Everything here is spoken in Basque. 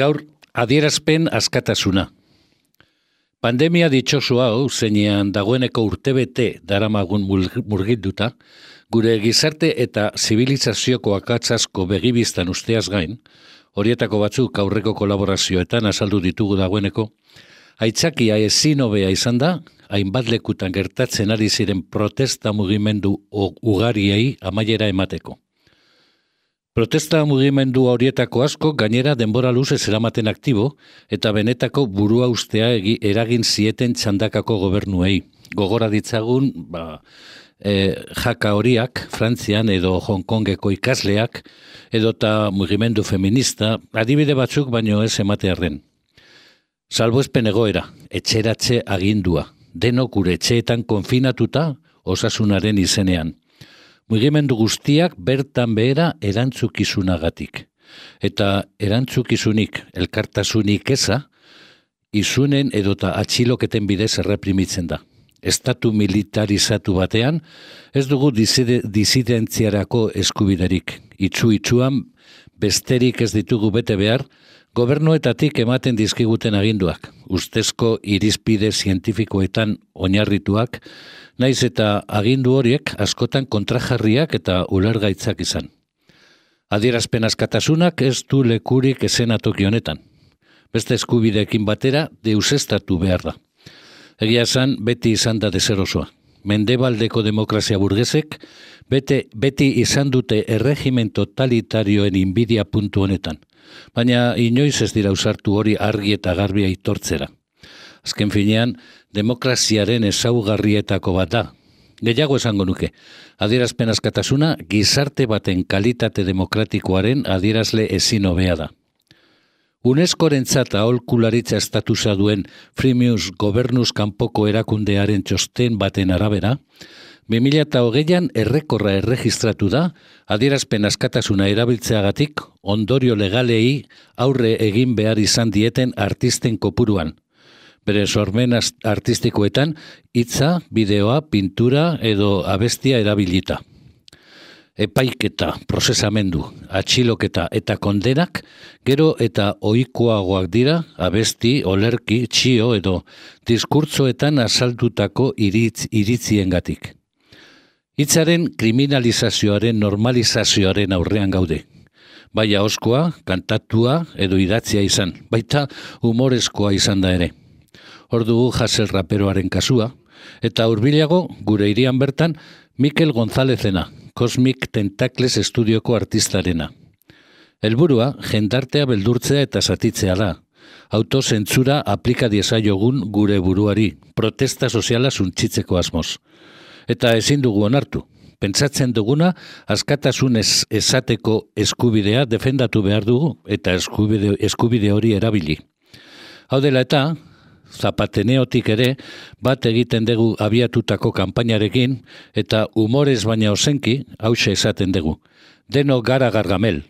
Gaur, adierazpen askatasuna. Pandemia ditxosu hau, zeinean dagoeneko urtebete daramagun murgilduta, gure gizarte eta zibilizazioko akats asko begibiztan usteaz gain, horietako batzuk aurreko kolaborazioetan azaldu ditugu dagoeneko, aitzakia ezin hobea izan da, hainbat lekutan gertatzen ari ziren protesta mugimendu ugariei amaiera emateko. Protesta mugimendu horietako asko gainera denbora luzez eramaten aktibo eta benetako burua ustea eragin zieten txandakako gobernuei. Gogora ditzagun, jaka horiak, Frantzian edo Hong Kongeko ikasleak, edota mugimendu feminista, adibide batzuk baino ez ematearren. Salbuespen egoera, etxeratze agindua, denok gure etxeetan konfinatuta osasunaren izenean. Mugimendu guztiak bertan behera erantzukizunagatik. Eta erantzukizunik, elkartasunik eza, izunen edota atxiloketen bidez erreprimitzen da. Estatu militarizatu batean, ez dugu disidentziarako eskubiderik. Itxuan besterik ez ditugu bete behar, gobernuetatik ematen dizkiguten aginduak, ustezko irizpide zientifikoetan oinarrituak, naiz eta agindu horiek askotan kontrajarriak eta ulergaitzak izan. Adierazpen askatasunak ez du lekurik esenatoki honetan. Beste eskubideekin batera deusestatu behar da. Egia esan beti izan da deserosoa. Mendebaldeko demokrazia burgesek beti izan dute erregimen totalitarioen inbidia puntu honetan. Baina inoiz ez dira usartu hori argi eta garbi aitortzera. Azken finean, demokraziaren ezaugarrietako bat da. Gehiago esango nuke, adierazpen askatasuna gizarte baten kalitate demokratikoaren adierazle ezin hobea da. UNESCO-rentzat aholkularitza estatusa duen Fremius gobernuz kanpoko erakundearen txosten baten arabera, 2020an errekorra erregistratu da, adierazpen askatasuna erabiltzeagatik ondorio legalei aurre egin behar izan dieten artisten kopuruan. Bere sormen artistikoetan hitza, bideoa, pintura edo abestia erabilita. Epaiketa, prozesamendu, atxiloketa eta kondenak gero eta ohikoagoak dira abesti, olerki, txio edo diskurtsoetan azaldutako iritziengatik. Hitzaren kriminalizazioaren normalizazioaren aurrean gaude. Bai ahoskoa, kantatua edo idatzia izan, baita humorezkoa izan da ere. Hor dugu Hassel raperoaren kasua, eta hurbilago gure hirian bertan Mikel Gonzalezena, Cosmic Tentacles estudioko artistarena. Helburua, jendartea beldurtzea eta zatitzea da. Autozentzura aplika diezaiogun gure buruari, protesta soziala suntsitzeko asmoz. Eta ezin dugu onartu. Pentsatzen duguna, askatasun esateko eskubidea defendatu behar dugu eta eskubide hori erabili. Hau dela eta, Zapateneotik ere, bat egiten dugu abiatutako kanpainarekin eta humorez baina ozenki, hause esaten dugu. Deno gara gargamel,